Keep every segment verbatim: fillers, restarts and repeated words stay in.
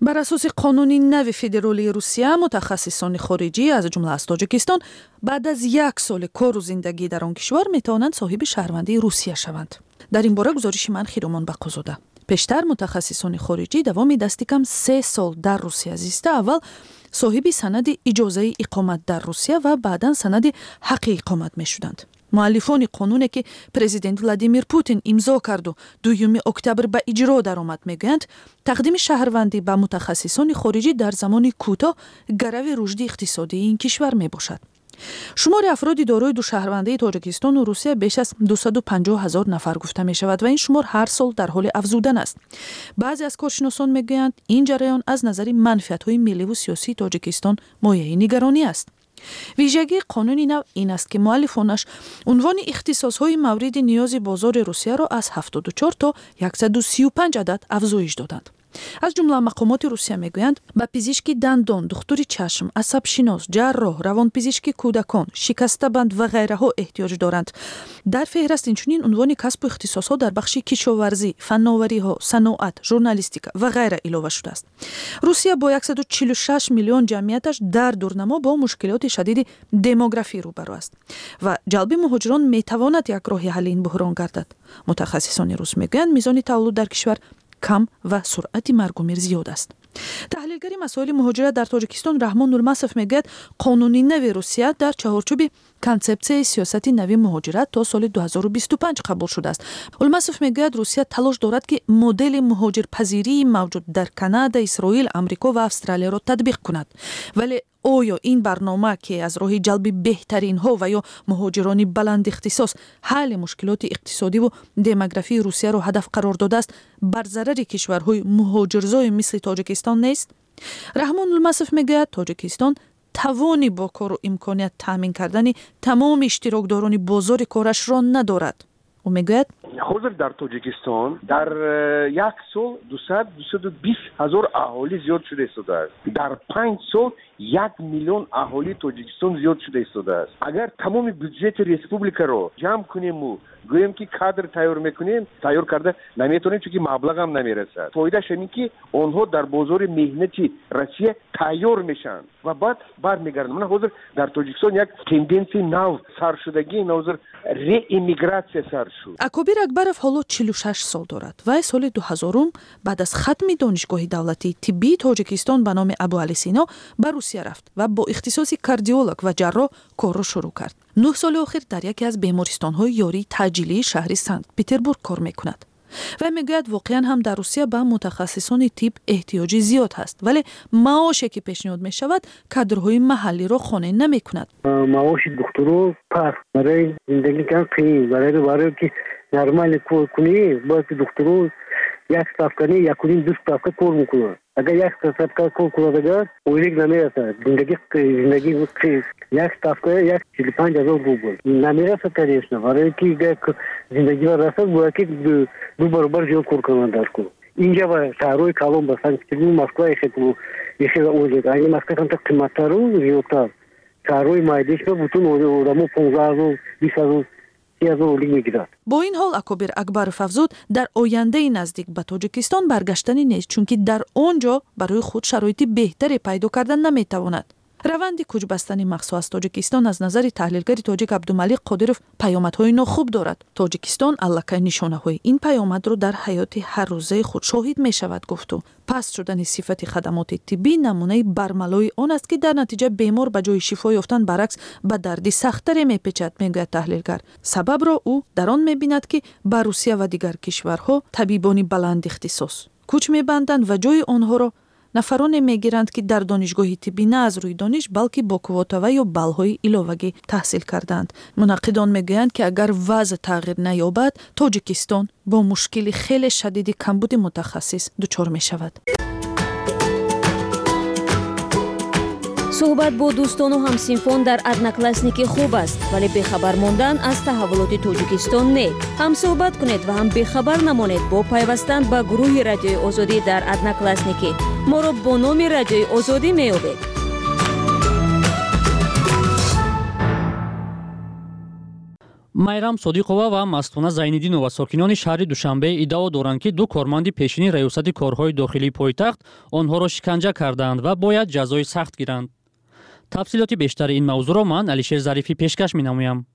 Бар асоси қонуни нави федералии Русия, мутахассисони хориҷӣ, аз ҷумла аз Тоҷикистон, баъд аз як соли кору зиндагӣ дар он кишвар метавонанд соҳиби шаҳрвандии Русия шаванд. Дар ин бора гузориши ман Хиромон Бақозода. Пештар мутахассисони хориҷӣ давоми дасти кам се сол дар Русия зиста, аввал соҳиби санади иҷозаи иқомат дар Русия ва баъдан санади ҳаққи иқомат мешуданд. Муаллифони қонуне, ки президент Владимир Путин имзо карду дуюми октябр ба иҷро даромад, мегӯянд, тақдими шаҳрвандӣ ба мутахассисони хориҷӣ дар замони кӯтоҳ гарави рушди иқтисодии ин кишвар мебошад. Шумори афроди дорои душаҳрвандии Тоҷикистону Русия беш аз дусаду панҷоҳ ҳазор нафар гуфта мешавад ва ин шумор ҳар сол дар ҳоли афзудан аст. Баъзе аз коршиносон мегӯянд, ин ҷараён аз назари манфиатҳои милливу сиёсии Тоҷикистон мояи нигаронӣ аст. Вижагии қонуни нав ин аст, ки муаллифонаш унвони ихтисосҳои мавриди ниёзи бозори Русияро аз ҳафтоду чор то яксаду сию панҷ адад афзоиш доданд. Аз ҷумла мақомоти Русия мегӯянд, ба пизишки дандон, духтури чашм, асабшинос, ҷарроҳ, равонпизишки кӯдакон, шикастабанд ва ғайраҳо эҳтиёҷ доранд. Дар феҳраст инчунин унвони касбу ихтисосҳо дар бахши кишоварзӣ, фанновариҳо, саноат, журналистика ва ғайра илова шудааст. Русия бо яксаду чилу шаш миллион ҷамъияташ дар дурнамо бо мушкилоти шадиди демографӣ рӯбарӯ аст ва ҷалби муҳоҷирон метавонад як роҳи ҳалли ин буҳрон гардад. Мутахассисони рус мегӯянд, мизони таваллуд дар кишвар кам ва суръати маргумир зиёд аст. Таҳлилгари масоили муҳоҷират дар Тоҷикистон Раҳмон Нурмасов мегӯяд, қонуни нави Русия дар чаҳорчӯби консепсияи сиёсати нави муҳоҷират то соли ду ҳазору бисту панҷ қабул шудааст. Улмасов мегӯяд, Русия талош дорад, ки модели муҳоҷирпазирии мавҷуд дар Канада, Исроил, Амрико ва Австралияро татбиқ кунад. Вале оё ин барнома, ки аз роҳи ҷалби беҳтаринҳо ва ё муҳоҷирони баландихтисос ҳалли мушкилоти иқтисодиву демографии Русияро ҳадаф қарор додааст, бар зарари кишварҳои муҳоҷирзои мисли Тоҷикистон нест? Раҳмон Улмасов мегӯяд, Тоҷикистон тавони бо кору имконият таъмин кардани тамоми иштирокдорони бозори корашро надорад. Ӯ мегӯяд, ҳозир дар Тоҷикистон дар як сол дусад, дусаду бист ҳазор аҳолӣ зиёд шуда истодааст. Дар панҷ сол як миллион аҳолии Тоҷикистон зиёд шуда истодааст. Агар тамоми бюджети республикаро ҷамъ кунему гӯем, ки кадр тайёр мекунем, тайёр карда наметавонем, чунки маблағам намерасад. Фоидааш ҳамин, ки онҳо дар бозори меҳнати Россия тайёр мешаванд ва баъд бармегарданд. Мана ҳозир дар Тоҷикистон як тенденсияи нав сар шудагӣ, ҳозир реэмигратсия сар шуд. Акобир Акбаров ҳоло чилу шаш сол дорад. Вай соли дуҳазорум баъд аз хатми Донишгоҳи давлатии тиббии Тоҷикистон ба номи Абуалӣ Сино ба Русия рафт ва бо ихтисоси кардиолог ва ҷарроҳ корро шурӯъ кард. Нӯҳ соли охир дар яке аз бемористонҳои ёрии таъҷилии шаҳри Санкт Петербург кор мекунад. Вай мегӯяд, воқеан ҳам дар Русия ба мутахассисони тиб эҳтиёҷи зиёд ҳаст, вале маоше, ки пешниҳод мешавад, кадрҳои маҳаллиро қонеъ намекунад. Маоши духтуро паст, барои зиндагӣ кам қиин, барои барое ки нормально кор кунӣ, бояд ки духтуро як ставка не, якуним ду ставка кор мекунад. Агар як ставка кор кунад, агар ойлик намерасад, зиндагӣ зиндагӣ як ставка як чилу панҷ ҳазор рубл намерасад, конечно. Барое ки зиндагӣ расад, бояд ки ду баробар зиёд кор кунанд дар кор. Инҷа ба шаҳрҳои калон, ба Санкт Петербург, Москва ихела ойлик, ани Москва камтар қиматтару зиёдтар. Шаҳрҳои майдиш ба бутун одамо понздаҳ ҳазор, бист ҳазор, си ҳазор ойлик мегирад. Бо ин ҳол Акобир Акбаров афзуд, дар ояндаи наздик ба Тоҷикистон баргаштанӣ нест, чунки дар он ҷо барои худ шароити беҳтаре пайдо карда наметавонад. Раванди кӯчбастани махсус аз Тоҷикистон аз назари таҳлилгари тоҷик Абдумалиқ Қодиров паёмадҳои нохуб дорад. Тоҷикистон аллакай нишонаҳои ин паёмадро дар ҳаёти ҳаррӯзаи худ шоҳид мешавад, гуфт ӯ. Паст шудани сифати хадамоти тиббӣ намунаи бармалои он аст, ки дар натиҷа бемор ба ҷои шифо ёфтан баръакс ба дарди сахттаре мепечад, мегӯяд таҳлилгар. Сабабро ӯ дар он мебинад, ки ба Русия ва дигар кишварҳо табибони баландихтисос кӯч мебанданд ва ҷои онҳоро нафароне мегиранд, ки дар донишгоҳи тиббӣ на аз рӯи дониш, балки бо квота ва ё баллҳои иловагӣ таҳсил кардаанд. Мунаққидон мегӯянд, ки агар вазъ тағйир наёбад, Тоҷикистон бо мушкили хеле шадиди камбуди мутахассис дучор мешавад. Суҳбат бо дӯстону ҳамсинфон дар Одноклассники хуб аст, вале бехабар мондан аз таҳаввулоти Тоҷикистон не. Ҳам суҳбат кунед ва ҳам бехабар намонед бо пайвастан ба гурӯҳи Радиои Озодӣ дар Одноклассники. Моро бо номи Радиои Озодӣ меёбед. Майрам Содиқова ва Мастона Зайниддинова сокинони шаҳри Душанбе иддао доранд, ки ду корманди пешини раёсати корҳои дохилии пойтахт онҳоро шиканҷа кардаанд ва бояд ҷазои сахт гиранд. Тафсилоти бештари ин мавзӯъро ман Алишер Зарифӣ пешкаш менамоям.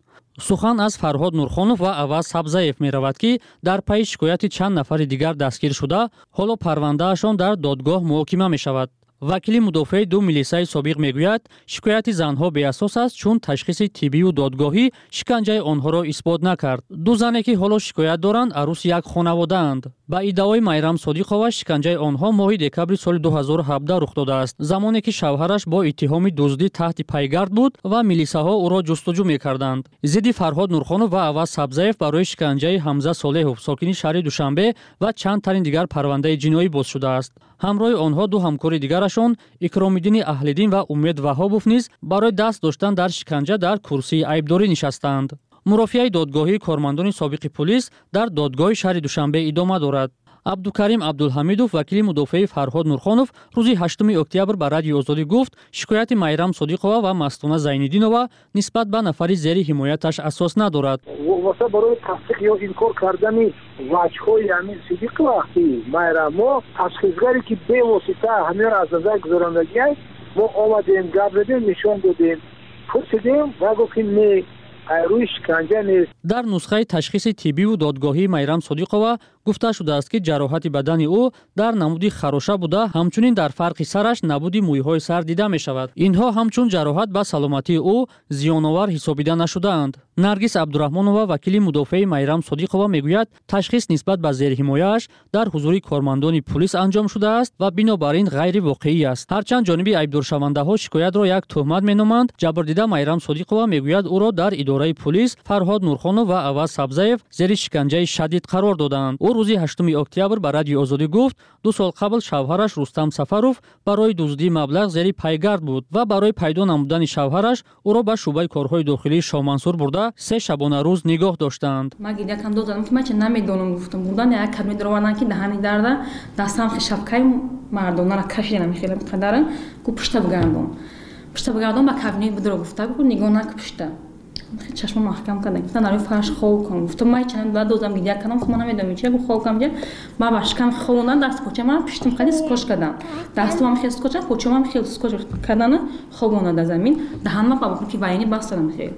Сухан аз Фарҳод Нурхонов ва Аваз Сабзаев меравад, ки дар пайи шикояти чанд нафари дигар дастгир шуда, ҳоло парвандаашон дар додгоҳ муҳокима мешавад. Вакили мудофеи ду милисаи собиқ мегӯяд, шикояти занҳо беасос аст, чун ташхиси тиббию додгоҳӣ шиканҷаи онҳоро исбот накард. Ду зане, ки ҳоло шикоят доранд, арӯси як хонаводаанд. Ба иддаои Майрам Содиқова, шиканҷаи онҳо моҳи декабри соли ду ҳазору ҳабдаҳ рух додааст, замоне ки шавҳараш бо иттиҳоми дуздӣ таҳти пайгард буд ва милисаҳо ӯро ҷустуҷӯ мекарданд. Зидди Фарҳод Нурхонов ва Аваз Сабзаев барои шиканҷаи Ҳамза Солеҳов, сокини шаҳри Душанбе, ва чанд тарин дигар парвандаи ҷиноӣ боз шудааст. Ҳамроҳи онҳо ду ҳамкори дигарашон Икромиддини Аҳлиддин ва Умед Ваҳобов низ барои даст доштан дар шиканҷа дар курсии айбдорӣ нишастаанд. Мурофиаи додгоҳии кормандони собиқи пулис дар додгоҳи шаҳри Душанбе идома дорад. Абдукарим Абдулҳамидов, вакили мудофеи Фарҳод Нурхонов, рӯзи ҳаштуми октябр ба Радиои Озодӣ гуфт, шикояти Майрам Содиқова ва Мастона Зайниддинова нисбат ба нафари зери ҳимояташ асос надорад. Вобаста барои тасдиқ ё инкор кардани ваҷҳои ҳамин Сидиқова ки Майрам, мо ташхисгаре ки бевосита ҳаминро аз назар гузарондагиаст, мо омадем, гап задем, нишон додем, пурсидем ва гуфт ки не, рӯи шиканҷа нест. Дар нусхаи ташхиси тиббиву додгоҳии Майрам Содиқова гуфта шудааст, ки ҷароҳати бадани ӯ дар намуди хароша буда, ҳамчунин дар фарқи сараш набуди мӯйҳои сар дида мешавад. Инҳо ҳамчун ҷароҳат ба саломатии ӯ зиёновар ҳисобида нашудаанд. Наргиз Абдураҳмонова, вакили мудофеи Майрам Содиқова, мегӯяд, ташхис нисбат ба зерҳимояаш дар ҳузури кормандони пулис анҷом шудааст ва бинобар ин ғайривоқеӣ аст. Ҳарчанд ҷониби айбдоршавандаҳо шикоятро як тӯҳмат меноманд, ҷабрдида Майрам Содиқова мегӯяд, ӯро дар идораи пулис Фарҳод Нурхонов ва Аваз Сабзаев зери шиканҷаи шадид қарор додаанд. Ӯ рӯзи ҳаштуми октябр ба Радиои Озодӣ гуфт, ду сол қабл шавҳараш Рустам Сафаров барои дуздии маблағ зери пайгард буд ва барои пайдо намудани шавҳараш ӯро ба шӯъбаи корҳои дохилии Шоҳмансур бурда се шабонарӯз нигоҳ доштаанд. Ман гирякам додам, ки ман ча намедонам, гуфтам бурдан як кабинет дароварданд, ки даҳани дарда дастам шапкаи мардонара кашидам, хеле қадарам гу пушта бигардон, пушта бигардон, ба кабинет бидро гуфта, гу нигоҳ нак пушта. Чашма маҳкам кардам, гуфтан дар фарш хоб кун. Гуфтам ман чанд баъд додам гиря кардам, хуб ман намедонам чия, гу хоб кам ҷа. Ман ба шикам хобондан, даст поча ман пиштам қади скотч кардам. Дастам хел скотч, почам хел скотч кардан, хобонда дар замин. Даҳанма ба ки вайни бастадам хел.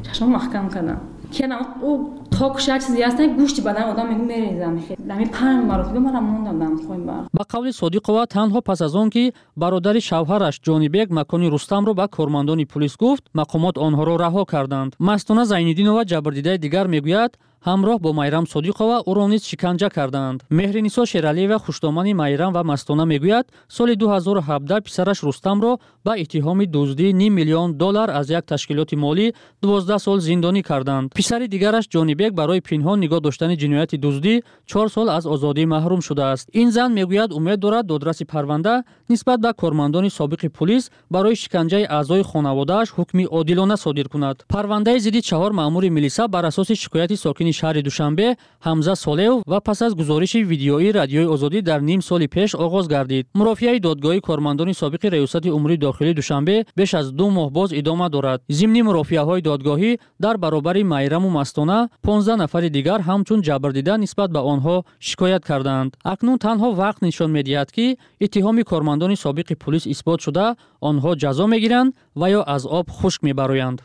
Чашма маҳкам кардам. Кардам ӯ ток шад чизе ҳаст, гӯшти бадан одам мегӯ мерезам хел. Дами панҷ маротиба мара мондам хоҳим бар. Ба қавли Содиқова, танҳо пас аз он ки бародари шавҳараш Ҷонибек макони Рустамро ба кормандони пулис гуфт, мақомот онҳоро раҳо карданд. Мастона Зайниддинова, ҷабрдидаи дигар, мегӯяд, ҳамроҳ бо Майрам Содиқова ӯро низ шиканҷа кардаанд. Меҳринисо Шералиева, хушдомани Майрам ва Мастона, мегӯяд, соли ду ҳазору ҳабдаҳ писараш Рустамро ба иттиҳоми дуздии ним миллион доллар аз як ташкилоти молӣ дувоздаҳ сол зиндонӣ карданд. Писари дигараш Ҷонибек барои пинҳон нигоҳ доштани ҷинояти дуздӣ чор сол аз озодӣ маҳрум шудааст. Ин зан мегӯяд, умед дорад додраси парванда нисбат ба кормандони собиқи пулис барои шиканҷаи аъзои хонаводааш ҳукми одилона содир кунад. Парвандаи зидди чаҳор маъмури милиса бар асоси шикояти сокини шаҳри Душанбе Ҳамза Солеҳов ва пас аз гузориши видеоии Радиои Озодӣ дар ним соли пеш оғоз гардид. Мурофиаи додгоҳии кормандони собиқи раёсати умури дохилии Душанбе беш аз ду моҳ боз идома дорад. Зимни мурофиаҳои додгоҳӣ дар баробари Майраму Мастона понздаҳ нафари дигар ҳамчун ҷабрдида нисбат ба онҳо шикоят кардаанд. Акнун танҳо вақт нишон медиҳад, ки иттиҳоми кормандони собиқи пулис исбот шуда, онҳо ҷазо мегиранд ва ё аз об хушк мебароянд.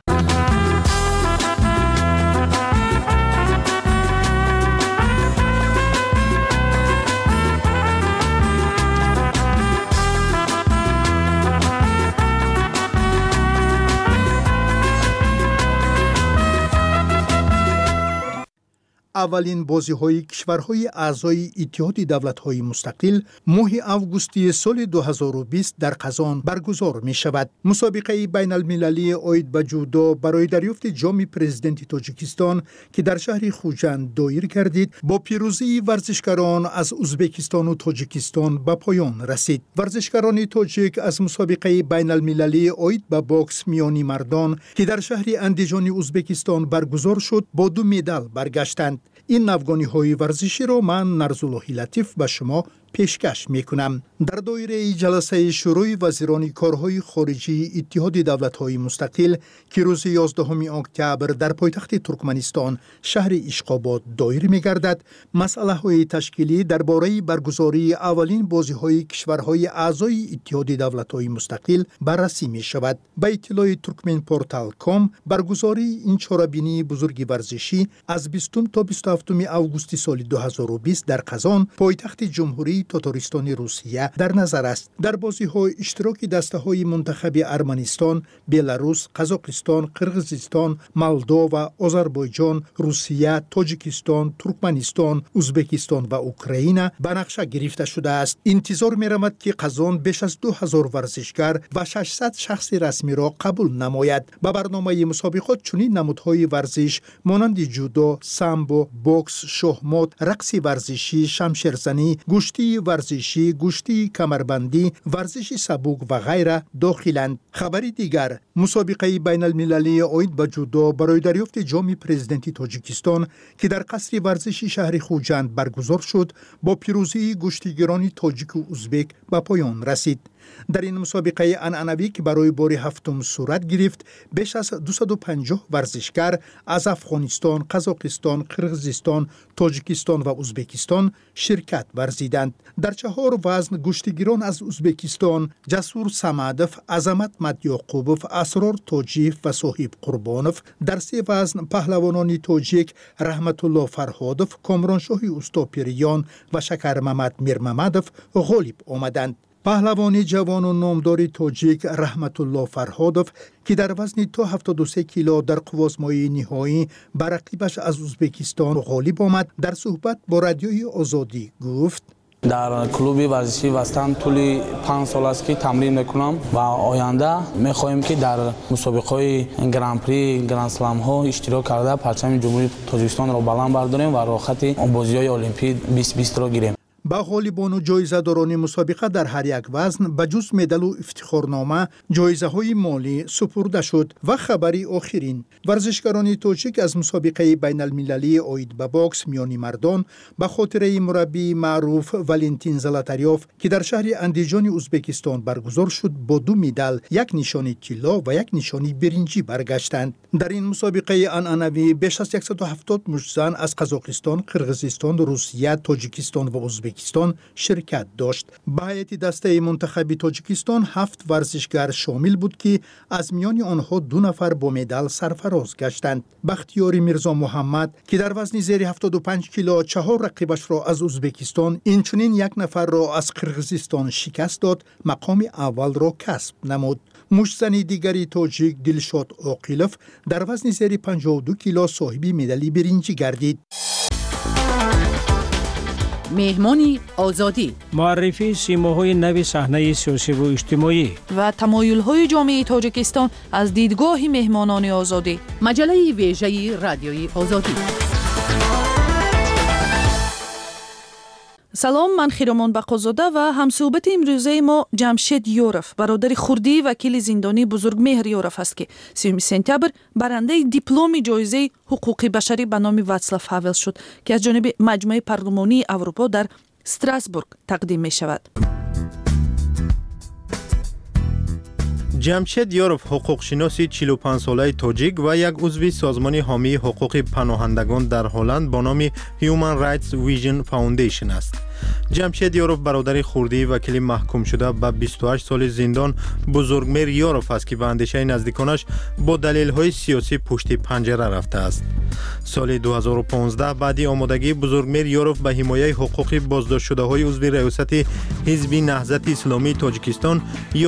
Аввалин бозиҳои кишварҳои аъзои Иттиҳоди давлатҳои мустақил моҳи августи соли ду ҳазору бист дар Қазон баргузор мешавад. Мусобиқаи байналмилалии оид ба ҷудо барои дарёфти ҷоми президенти Тоҷикистон, ки дар шаҳри Хуҷанд доир гардид, бо пирӯзии варзишгарон аз Узбекистону Тоҷикистон ба поён расид. Варзишгарони тоҷик аз мусобиқаи байналмилалии оид ба бокс миёни мардон, ки дар шаҳри Андиҷони Узбекистон баргузор шуд, бо ду медал баргаштанд. Ин навгониҳои варзиширо ман Нарзуллоҳи Латиф ба шумо Пешкаш мекунам. Дар доираи ҷаласаи Шӯрои вазирони корҳои хориҷии Иттиҳоди давлатҳои мустақил, ки рӯзи ёздаҳуми октябр дар пойтахти Туркманистон, шаҳри Ишқобод, доир мегардад, масъалаҳои ташкилӣ дар бораи баргузории аввалин бозиҳои кишварҳои аъзои Иттиҳоди давлатҳои мустақил баррасӣ мешавад. Ба иттилои Туркменпортал ком, баргузории ин чорабинии бузурги варзишӣ аз бистум то бисту ҳафтуми августи соли ду ҳазору бист дар Қазон, пойтахти Ҷумҳурии Тотористони Русия, дар назар аст. Дар бозиҳо иштироки дастаҳои мунтахаби Арманистон, Беларус, Қазоқистон, Қирғизистон, Молдова, Озарбойҷон, Русия, Тоҷикистон, Туркманистон, Узбекистон ва Украина ба нақша гирифта шудааст. Интизор меравад, ки Қазон беш аз ду ҳазор варзишгар ва шашсад шахси расмиро қабул намояд. Ба барномаи мусобиқот чунин намудҳои варзиш монанди ҷудо, самбо, бокс, шоҳмот, рақси варзишӣ, шамшерзанӣ, гӯштии варзишӣ, гӯштии камарбандӣ, варзиши сабук ва ғайра дохиланд. Хабари дигар: мусобиқаи байналмилалии оид ба ҷудо барои дарёфти ҷоми Президенти Тоҷикистон, ки дар қасри варзиши шаҳри Хуҷанд баргузор шуд, бо пирӯзии гӯштигирони тоҷику узбек ба поён расид. Дар ин мусобиқаи анъанавӣ, ки барои бори ҳафтум сурат гирифт, беш аз дусаду панҷоҳ варзишгар аз Афғонистон, Қазоқистон, Қирғизистон, Тоҷикистон ва Узбекистон ширкат варзиданд. Дар чаҳор вазн гӯштигирон аз Узбекистон Ҷасур Самадов, Азамат Мадёқубов, Асрор Тоҷиев ва Соҳиб Қурбонов, дар се вазн паҳлавонони тоҷик Раҳматулло Фарҳодов, Комроншоҳи Устопириён ва Шакармамад Мирмамадов ғолиб омаданд. Паҳлавони ҷавону номдори тоҷик Раҳматулло Фарҳодов, ки дар вазни то ҳафтоду се кило дар қуввозмоии ниҳоӣ ба рақибаш аз Узбекистон ғолиб омад, дар суҳбат бо Радиои Озодӣ гуфт: Дар клуби варзишии Вастан тӯли панҷ сол аст, ки тамрин мекунам ва оянда мехоҳем, ки дар мусобиқаҳои гран-при, гранд-сламҳо иштирок карда, парчами Ҷумҳурии Тоҷикистонро баланд бардорем ва роҳхати бозиҳои Олимпӣ бисту бистро гирем. Ба ғолибону ҷоизадорони мусобиқа дар ҳар як вазн ба ҷуз медалу ифтихорнома ҷоизаҳои молӣ супурда шуд. Ва хабари охирин: варзишгарони тоҷик аз мусобиқаи байналмилалии оид ба бокс миёни мардон ба хотираи мураббии маъруф Валентин Золотарёв, ки дар шаҳри Андиҷони Узбекистон баргузор шуд, бо ду медал, як нишони тилло ва як нишони биринҷӣ баргаштанд. Дар ин мусобиқаи анъанавӣ беш аз яксаду ҳафтод муштзан аз Қазоқистон, Қирғизистон, Русия, Тоҷикистон ва Узбекистон ширкат дошт. Ба ҳайати дастаи мунтахаби Тоҷикистон ҳафт варзишгар шомил буд, ки аз миёни онҳо ду нафар бо медал сарфароз гаштанд. Бахтиёри Мирзо Муҳаммад, ки дар вазни зери ҳафтоду панҷ кило чаҳор рақибашро аз Узбекистон, инчунин як нафарро аз Қирғизистон шикаст дод, мақоми аввалро касб намуд. Муштзани дигари тоҷик Дилшод Оқилов дар вазни зери панҷоҳу ду кило соҳиби медали биринҷӣ гардид. Меҳмони Озодӣ. Муаррифии симоҳои нави саҳнаи сиёсиву иҷтимоӣ ва тамоюлҳои ҷомеаи Тоҷикистон аз дидгоҳи меҳмонони Озодӣ. Маҷаллаи вежаи Радиои Озодӣ. Салом, ман Хиромон Бақозода ва ҳамсӯҳбати имрӯзаи мо Ҷамшед Ёров, бародари хурдии вакили зиндонии Бузургмеҳр Ёров аст, ки сиюми сентябр барандаи дипломи ҷоизаи ҳуқуқи башарӣ ба номи Ватслав Ҳавел шуд, ки аз ҷониби Маҷмӯаи парлумонии Аврупо дар Страсбург тақдим мешавад. Ҷамшед Ёров ҳуқуқшиноси чилу панҷсолаи тоҷик ва як узви созмони ҳомии ҳуқуқи паноҳандагон дар Ҳолланд бо номи Human Rights Vision Foundation аст. Ҷамшед Ёров бародари хурдии вакили маҳкумшуда ба бисту ҳашт соли зиндон Бузургмеҳр Ёров аст, ки ба андешаи наздиконаш бо далелҳои сиёсӣ пушти панҷара рафтааст. Соли ду ҳазору понздаҳ баъди омодагии Бузургмеҳр Ёров ба ҳимояи ҳуқуқи боздоштшудаҳои узви раёсати Ҳизби Наҳзати Исломии Тоҷикистон,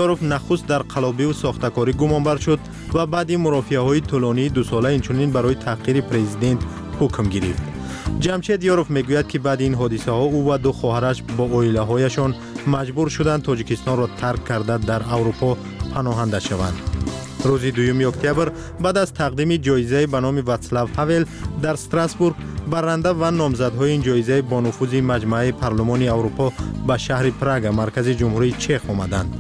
Ёров нахуст дар қалобиву сохтакорӣ гумонбар шуд ва баъди мурофиаҳои тӯлонии дусола инчунин барои таҳқири президент ҳукм гирифт. Ҷамшед Ёров мегӯяд, ки баъди ин ҳодисаҳо ӯ ва ду хоҳараш бо оилаҳояшон маҷбур шуданд Тоҷикистонро тарк карда, дар Аврупо паноҳанда шаванд. Рӯзи дуюми октябр баъд аз тақдими ҷоизаи ба номи Ватслав Ҳавел дар Страсбург, барранда ва номзадҳои ин ҷоизаи бонуфузи Маҷмӯаи парлумони Аврупо ба шаҳри Прага, маркази Ҷумҳурии Чех, омаданд.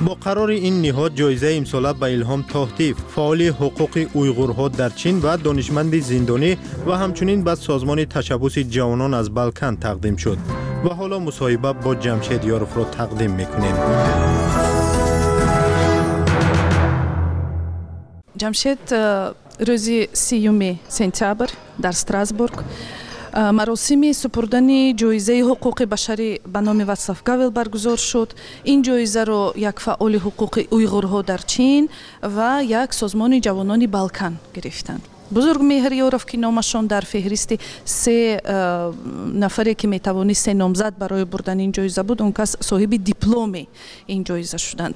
Бо қарори ин ниҳод ҷоизаи имсола ба Илҳом Тоҳтиев, фаъоли ҳуқуқи уйғурҳо дар Чин ва донишманди зиндонӣ, ва ҳамчунин ба созмони ташаббуси ҷавонон аз Балкан тақдим шуд. Ва ҳоло мусоҳиба бо Ҷамшед Ёровро тақдим мекунем. Ҷамшед, рӯзи сиюми сентябр дар Страсбург маросими супурдани ҷоизаи ҳуқуқи башарӣ ба номи Ватслав Гавел баргузор шуд. Ин ҷоизаро як фаъоли ҳуқуқи уйғурҳо дар Чин ва як созмони ҷавонони Балкан гирифтанд. Бузургмеҳр Ёров, ки номашон дар феҳристи се нафаре, ки метавонист се номзад барои бурдани ин ҷоиза буд, он кас соҳиби дипломи ин ҷоиза шуданд.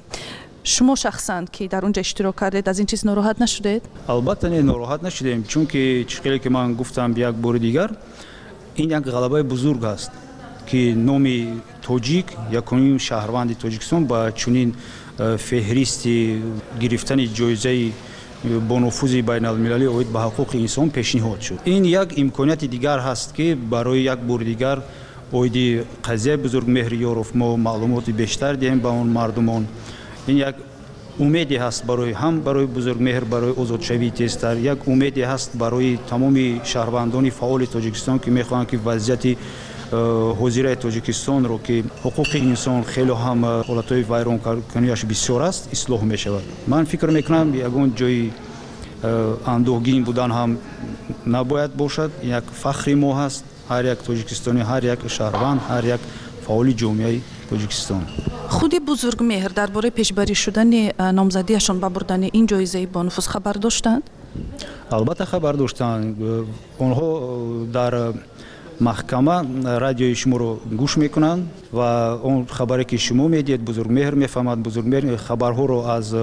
Шумо шахсан, ки дар он ҷо иштирок кардед, аз ин чиз нороҳат нашудед? Албатта не, нороҳат нашудем, чунки чӣ хеле ки ман гуфтам як бори дигар, ин як ғалабаи бузург аст, ки номи тоҷик, якуним шаҳрванди Тоҷикистон ба чунин феҳристи гирифтани ҷоизаи бонуфузи байналмилалӣ оид ба ҳуқуқи инсон пешниҳод шуд. Ин як имконияти дигар ҳаст, ки барои як бори дигар оиди қазияи Бузургмеҳри Ёров мо маълумоти бештар диҳем ба он мардумон. Ин як умеде ҳаст барои ҳам барои Бузургмеҳр, барои озодшавии тезтар, як умеде ҳаст барои тамоми шаҳрвандони фаъоли Тоҷикистон, ки мехоҳанд, ки вазъияти ҳозираи Тоҷикистонро, ки ҳуқуқи инсон хеле ҳам ҳолатҳои вайронкуниаш бисёр аст, ислоҳ мешавад. Ман фикр мекунам, ягон ҷои андӯҳгин будан ҳам набояд бошад. Як фахри мо ҳаст, ҳар як тоҷикистонӣ, ҳар як шаҳрванд, ҳар як фаъоли ҷомеаи Тоҷикистон. Худи Бузургмеҳр дар бораи пешбарӣ шудани номзадиашон ба бурдани ин ҷоизаи бонуфуз хабар доштанд? Албатта хабар доштанд. Онҳо дар маҳкама радиои шуморо гӯш мекунанд ва он хабаре, ки шумо медиҳед, Бузургмеҳр мефаҳмад. Бузургмеҳр хабарҳоро аз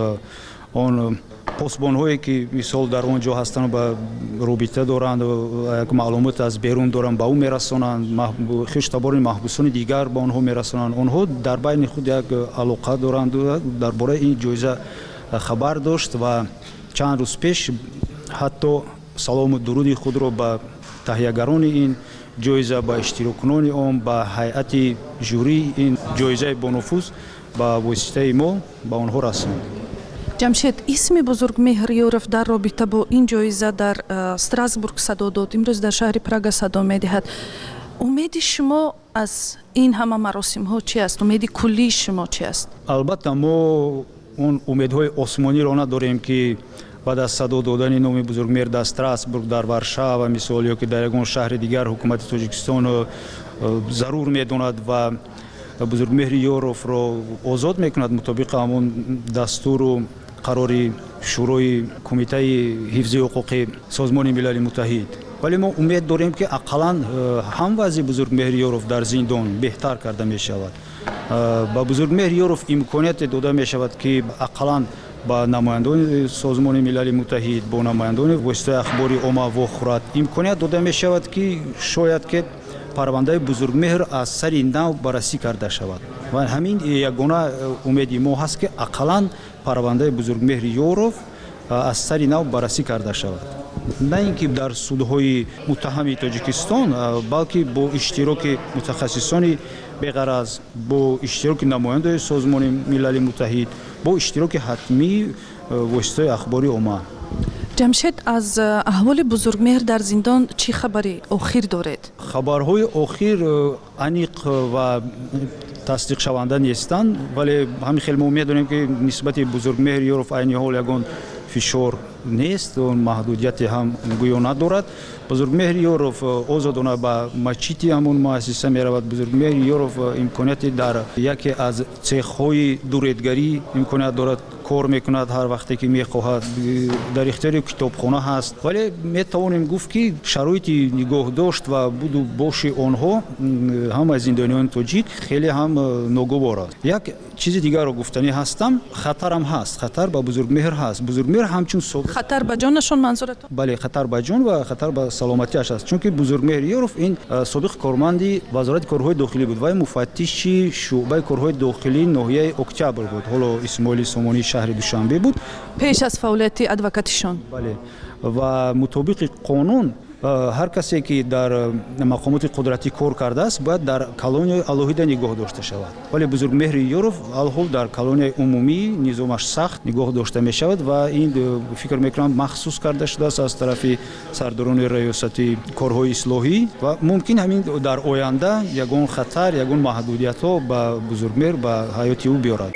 он посбонҳое, ки мисол дар он ҷо ҳастанд, ба робита доранд, як маълумот аз берун доранд, ба ӯ мерасонанд, хештабори маҳбусони дигар ба онҳо мерасонанд. Онҳо дар байни худ як алоқа доранд, дар бораи ин ҷоиза хабар дошт ва чанд рӯз пеш ҳатто салому дуруди худро ба таҳиягарони ин ҷоиза, ба иштироккунони он, ба ҳайати жюрии ин ҷоизаи бонуфуз ба воситаи мо ба онҳо расонд. Ҷамшед, исми Бузургмеҳр Ёров дар робита бо ин ҷоиза дар Страсбург садо дод, имрӯз дар шаҳри Прага садо медиҳад. Умеди шумо аз ин ҳама маросимҳо чи аст? Умеди куллии шумо чи аст? Албатта мо он умедҳои осмониро надорем, ки баъд аз садо додани номи Бузургмеҳр дар Страсбург, дар Варшава мисол ё ки дар ягон шаҳри дигар ҳукумати Тоҷикистон зарур медонад ва Бузургмеҳри Ёровро озод мекунад мутобиқи ҳамон дастуру қарори Шӯрои Кумитаи ҳифзи ҳуқуқи Созмони Милали Муттаҳид. Вале мо умед дорем, ки ақаллан ҳам вазъи Бузургмеҳри Ёров дар зиндон беҳтар карда мешавад. Ба Бузургмеҳри Ёров имконияте дода мешавад, ки ақаллан ба намояндони Созмони Милали Муттаҳид, бо намояндони воситаи ахбори омма вохӯрад. Имконият дода мешавад, ки шояд ки парвандаи Бузургмеҳр аз сари нав баррасӣ карда шавад. Ва ҳамин ягона умеди мо ҳаст, ки ақаллан парвандаи Бузургмеҳри Ёров аз сари нав баррасӣ карда шавад. На ин ки дар судҳои муттаҳами Тоҷикистон, балки бо иштироки мутахассисони беғараз, бо иштироки намояндаи Созмони Милали Муттаҳид, бо иштироки ҳатмии воситаи ахбори омма. Ҷамшед, аз аҳволи Бузургмеҳр дар зиндон чӣ хабари охир доред? Хабарҳои охир аниқ ва тасдиқшаванда нестанд, вале ҳамин хел мо медонем, ки нисбати Бузургмеҳри Ёров айни ҳол ягон фишор нест, он маҳдудияте ҳам гӯё надорад. Бузургмеҳри Ёров озодона ба масҷиди ҳамон муассиса меравад. Бузургмеҳри Ёров имконияти дар яке аз цехҳои дуредгарӣ имконият дорад, кор мекунад ҳар вақте ки мехоҳад, дар ихтиёри китобхона ҳаст. Вале метавонем гуфт, ки шароити нигоҳдошт ва буду боши онҳо ҳама зиндониёни тоҷик хеле ҳам ногувор аст. Як чизи дигарро гуфтанӣ ҳастам, хатарам ҳаст, хатар ба Бузургмеҳр ҳаст. Бузургмеҳр ҳамчун собиқ хатар ба ҷонашон манзуратон? Бале, хатар ба ҷон ва хатар ба саломатиаш аст, чунки Бузургмеҳр Ёров ин собиқ корманди Вазорати корҳои дохилӣ буд ва муфаттиши шӯъбаи корҳои дохилии ноҳияи Октябр буд, ҳоло Исмоили Сомонии шаҳри Душанбе буд пеш аз фаъолияти адвокатишон. Бале, ва мутобиқи қонун Ҳар касе ки дар мақомоти қудратӣ кор кардааст, бояд дар колонияи алоҳида нигоҳ дошта шавад. Вале Бузургмеҳри Ёров алҳол дар колонияи умумӣ низомаш сахт нигоҳ дошта мешавад ва ин фикр мекунам махсус карда шудааст аз тарафи сардорони раёсати корҳои ислоҳӣ ва мумкин ҳамин дар оянда ягон хатар, ягон маҳдудиятҳо ба Бузургмеҳр, ба ҳаёти ӯ биёрад.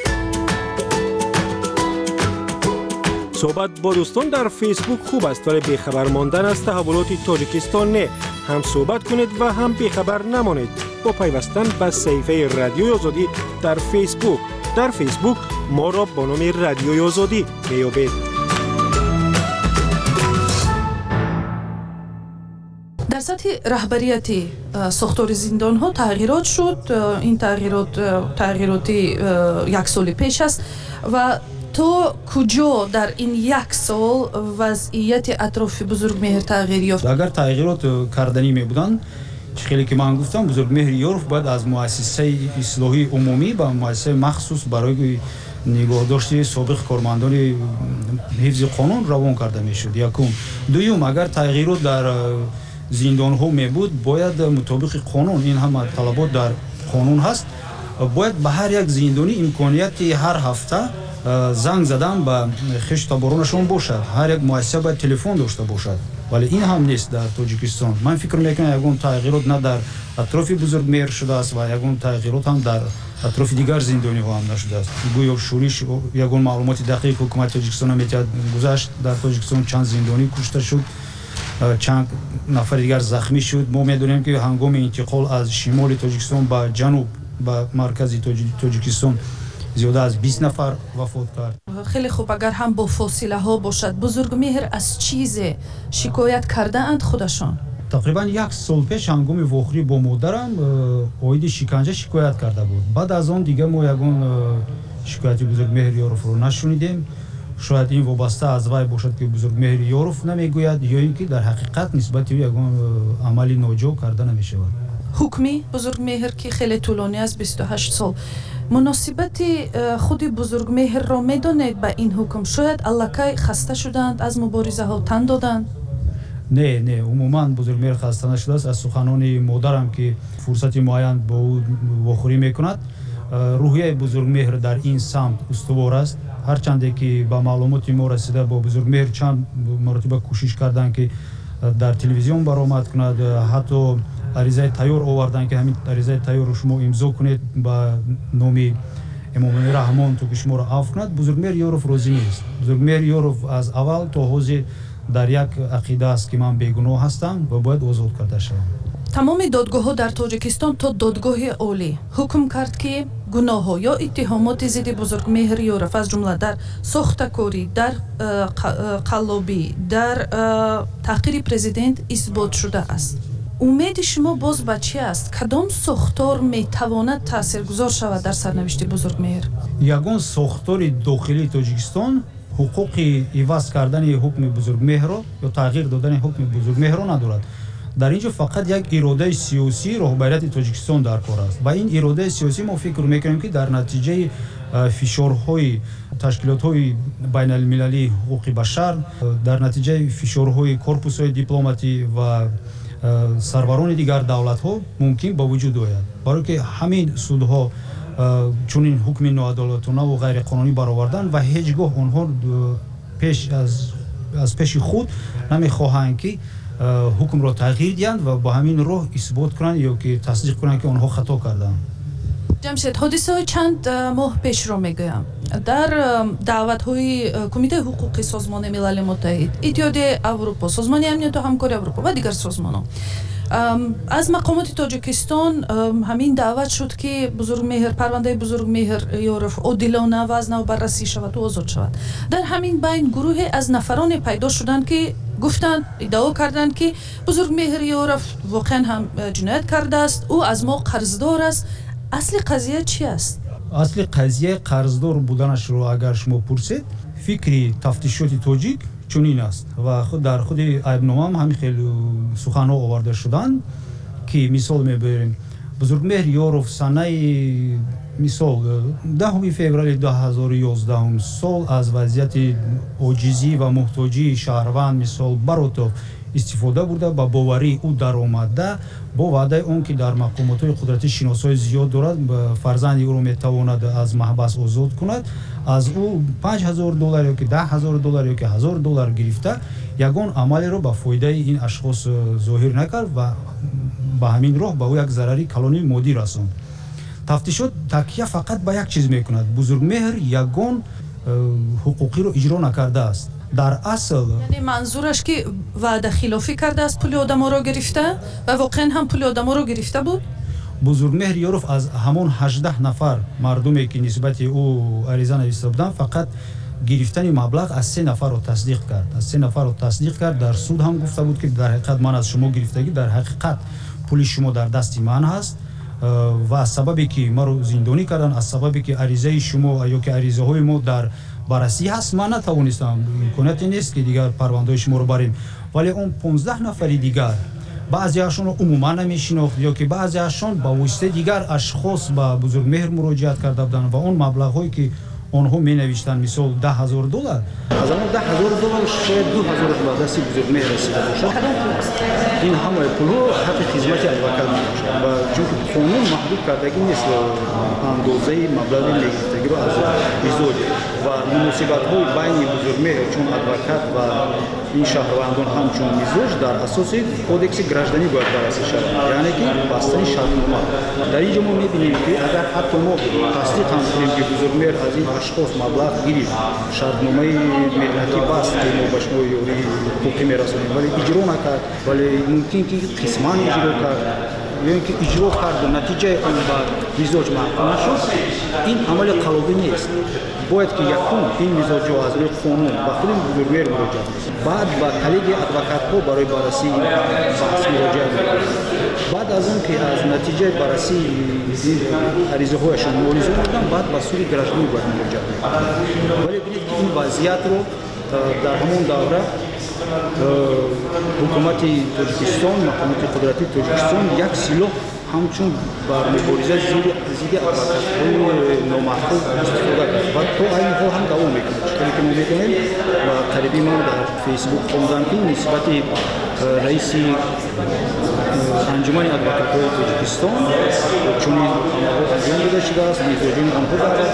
Суҳбат бо дӯстон дар Фейсбук хуб аст, вале бехабар мондан аз таҳаввулоти Тоҷикистон не. Ҳам суҳбат кунед ва ҳам бехабар намонед бо пайвастан ба саҳифаи Радиои Озодӣ дар Фейсбук. Дар Фейсбук моро бо номи Радиои Озодӣ меёбед. Дар сатҳи раҳбарияти сохтори зиндонҳо тағйирот шуд. Ин тағйирот тағйироти як соли пеш аст ва то куҷо дар ин як сол вазъияти атрофи Бузургмеҳр тағйир ёфт? Агар тағйирот карданӣ мебуданд, чӣ хеле ки ман гуфтам, Бузургмеҳри Ёров бояд аз муассисаи ислоҳии умумӣ ба муассисаи махсус барои нигоҳдошти собиқ кормандони ҳифзи қонун равон карда мешуд. Якум. Дуюм, агар тағйирот дар зиндонҳо мебуд, бояд мутобиқи қонун, ин ҳама талабот дар қонун ҳаст, бояд ба ҳар як зиндонӣ имконияти ҳар ҳафта занг задан ба хешу таборонашон бошад. Ҳар як муассиса бояд телефон дошта бошад, вале ин ҳам нест дар Тоҷикистон. Ман фикр мекунам ягон тағйирот на дар атрофи Бузургмеҳр шудааст ва ягон тағйирот ҳам дар атрофи дигар зиндониҳо ҳам нашудааст. Гӯё шӯриш, ягон маълумоти дақиқ ҳукумати Тоҷикистон наметиҳад. Гузашт дар Тоҷикистон чанд зиндонӣ кушта шуд, чанд нафари дигар захмӣ шуд. Мо медонем ки ҳангоми интиқол аз шимоли Тоҷикистон ба ҷануб, ба маркази Тоҷикистон зиёда аз бист нафар вафот кард. Хеле хуб, агар ҳам бо фосилаҳо бошад, Бузургмеҳр аз чизе шикоят кардаанд худашон? Тақрибан як сол пеш ҳангоми вохӯрӣ бо модарам оиди шиканҷа шикоят карда буд. Баъд аз он дига мо ягон шикояти Бузургмеҳр Ёровро нашунидем. Шояд ин вобаста аз вай бошад ки Бузургмеҳр Ёров намегӯяд ё ин ки дар ҳақиқат нисбати ӯ ягон амали ноҷо карда намешавад. Ҳукми Бузургмеҳр ки хеле тӯлонӣ аст, бисту ҳашт сол, муносибати худи Бузургмеҳрро медонед ба ин ҳукм? Шояд аллакай хаста шуданд, аз муборизаҳо тан доданд? Не, не, умуман Бузургмеҳр хаста нашудааст. Аз суханони модарам ки фурсати муайян бо ӯ вохӯрӣ мекунад, рӯҳияи Бузургмеҳр дар ин самт устувор аст. Ҳарчанде ки ба маълумоти мо расида, бо Бузургмеҳр чанд маротиба кӯшиш карданд ки дар телевизион баромад кунад, ҳатто аризаи тайёр оварданд ки ҳамин аризаи тайёрро шумо имзо кунед ба номи Эмомалӣ Раҳмон, то ки шуморо афв кунад. Бузургмеҳр Ёров розӣ нест. Бузургмеҳр Ёров аз аввал то ҳозир дар як ақида аст ки ман бегуноҳ ҳастам ва бояд озод карда шавам. Тамоми додгоҳҳо дар Тоҷикистон то додгоҳи олӣ ҳукм кард ки гуноҳҳо ё иттиҳомоти зидди Бузургмеҳр Ёров, аз ҷумла дар сохтакорӣ, дар қаллобӣ, дар таҳқири президент исбот шудааст. Умеди шумо боз ба чӣ аст? Кадом сохтор метавонад таъсиргузор шавад дар сарнавишти Бузургмеҳр? Ягон сохтори дохилии Тоҷикистон ҳуқуқи иваз кардани ҳукми Бузургмеҳрро ё тағйир додани ҳукми Бузургмеҳрро надорад. Дар ин ҷо фақат як иродаи сиёсии роҳбарияти Тоҷикистон дар кор аст ва ин иродаи сиёсӣ мо фикр мекунем ки дар натиҷаи фишорҳои ташкилотҳои байналмилалии ҳуқуқи башар, дар натиҷаи фишорҳои корпусҳои дипломатӣ ва сарварони дигар давлатҳо мумкин ба вуҷуд ояд. Барое ки ҳамин судҳо чунин ҳукми ноадолатонаву ғайриқонунӣ бароварданд ва ҳеҷ гоҳ онҳо пеш аз, аз пеши худ намехоҳанд ки ҳукмро тағйир диҳанд ва ба ҳамин роҳ исбот кунанд ё ки тасдиқ кунанд ки онҳо хато карданд. Ҷамшед, ҳодисаҳои чанд моҳ пешро мегӯям. Дар даъватҳои Кумитаи ҳуқуқи Созмони Милали Муттаҳид, Иттиҳодияи Аврупо, Созмони Амнияту Ҳамкории Аврупо ва дигар созмонҳо аз мақомоти Тоҷикистон ҳамин даъват шуд ки Бузургмеҳр, парвандаи Бузургмеҳр Ёров одилона ва аз нав баррасӣ шавад ва озод шавад. Дар ҳамин байн гурӯҳе аз нафароне пайдо шуданд ки гуфтанд, иддао карданд ки Бузургмеҳр Ёров воқеан ҳам ҷиноят кардааст, ӯ аз мо қарздор аст. Асли қазия чӣ аст? Асли қазия қарздор буданашро агар шумо пурсед, фикри тафтишоти тоҷик чунин аст ва худ дар худи айбномаам ҳамин хел суханҳо оварда шуданд ки мисол мебарем. Бузургмеҳр Ёров санаи мисол даҳуми феврали ду ҳазору ёздаҳум сол аз вазъияти оҷизӣ ва муҳтоҷии шаҳрванд мисол Баротов истифода бурда, ба боварии ӯ даромада, бо ваъдаи он ки дар мақомотҳои қудратӣ шиносҳои зиёд дорад, фарзанди ӯро метавонад аз маҳбас озод кунад, аз ӯ панҷ ҳазор доллар ё ки даҳ ҳазор доллар ё ки ҳазор доллар гирифта, ягон амалеро ба фоидаи ин ашхос зоҳир накард ва ба ҳамин роҳ ба ӯ як зарари калони моддӣ расонд. Тафтишот такя фақат ба як чиз мекунад: Бузургмеҳр ягон ҳуқуқиро иҷро накардааст. Дар асл яъне манзураш ки ваъдахилофӣ кардааст, пули одаморо гирифта ва воқеан ҳам пули одаморо гирифта буд? Бузургмеҳр Ёров аз ҳамон ҳаждаҳ нафар мардуме ки нисбати ӯ ариза нависта буданд, фақат гирифтани маблағ аз се нафарро тасдиқ кард. Аз се нафарро тасдиқ кард. Дар суд ҳам гуфта буд ки дар ҳақиқат ман аз шумо гирифтагӣ, дар ҳақиқат пули шумо дар дасти ман ҳаст ва аз сабабе ки маро зиндонӣ карданд, аз сабабе ки аризаи шумо ё ки аризаҳои мо дар баррасӣ ҳаст, ман натавонистам, имконияте нест ки дигар парвандаҳои шуморо барем. Вале он понздаҳ нафари дигар баъзеашонро умуман намешинохт ё ки баъзеашон ба воситаи дигар ашхос ба Бузургмеҳр муроҷиат карда буданд ва он маблағҳое ки онҳо менавиштанд, мисол даҳ ҳазор доллар, аз он даҳ ҳазор доллар шояд ду ҳазораш ба дасти Бузургмеҳр расида бошад. Ин ҳамаи пулҳо ҳаққи хизмати адвокат мебошад ва чунки қонун маҳдуд кардагӣ нест андозаи маблағи мегирифтагиро аз мизоҷ ва муносибатҳои байни Бузургмеҳр чун адвокат ва ин шаҳрвандон ҳамчун мизоҷ дар асоси кодекси гражданӣ бояд баррасӣ шавад, яъне ки бастани шартнома. Дар ин ҷо мо мебинем ки агар ҳатто мо тасдиқ ҳам кунем ки Бузургмеҳр аз ин ашхос маблағ гирифт, шартномаи меҳнатӣ баст ки мо ба шумо ёрии ҳуқуқӣ мерасонем, вале иҷро накард, вале мумкин ки қисман иҷро кард ё ин ки иҷро карду натиҷаи он ба мизоҷ маъқул нашуд, ин амали қалобӣ нест. Бояд ки якум ин мизоҷҳо аз рӯи қонун ба худи Бузургмеҳр муроҷиат кунанд, баъд ба коллегияи адвокатҳо барои баррасии ин баҳс муроҷиат мекунанд. Баъд аз он ки аз натиҷаи баррасии аризаҳояшон муолиза мекунанд, баъд ба суди гражданӣ бояд муроҷиат мекунанд. Вале бинед ки ин вазъиятро дар ҳамон давра ҳукумати Тоҷикистон, мақомоти қудратии Тоҷикистон як силоҳ ҳамчун бар мубориза зидди адвокатҳои номаъқул истифода кард ва то айни ҳол ҳам давом мекунад. Чӣ ки мо медонем ва қариби ман дар Фейсбук хондам ки нисбати раиси анҷумани адвокатҳои Тоҷикистон чунин амалҳо анҷом дода шудааст, мизоҷони онҳо даъват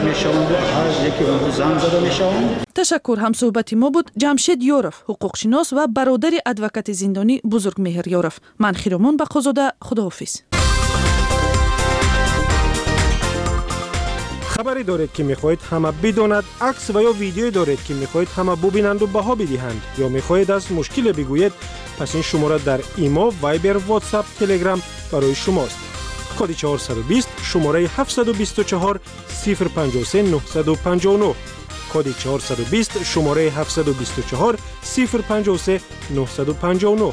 мешаванд ва ҳар яке онҳо занг зада мешаванд. Ташаккур. Ҳамсӯҳбати мо буд Ҷамшед Ёров, ҳуқуқшинос ва бародари адвокати зиндонӣ Бузургмеҳр Ёров. Ман Хиромон Бақозода, худоҳофиз. Хабаре доред ки мехоҳед ҳама бидонад, акс ва ё видеое доред ки мехоҳед ҳама бубинанду баҳо бидиҳанд, ё мехоҳед аз мушкиле бигӯед, пас ин шумора дар Имо, Вайбер, Ватсап, Телеграм барои шумост. Коди чорсаду бист, шумораи ҳафтсаду бисту чор, сифр панҷоҳу се, нӯҳсаду панҷоҳу нӯҳ. Коди чорсаду бист, шумораи ҳафтсаду бисту чор, сифр панҷоҳу се, нӯҳсаду панҷоҳу нӯҳ.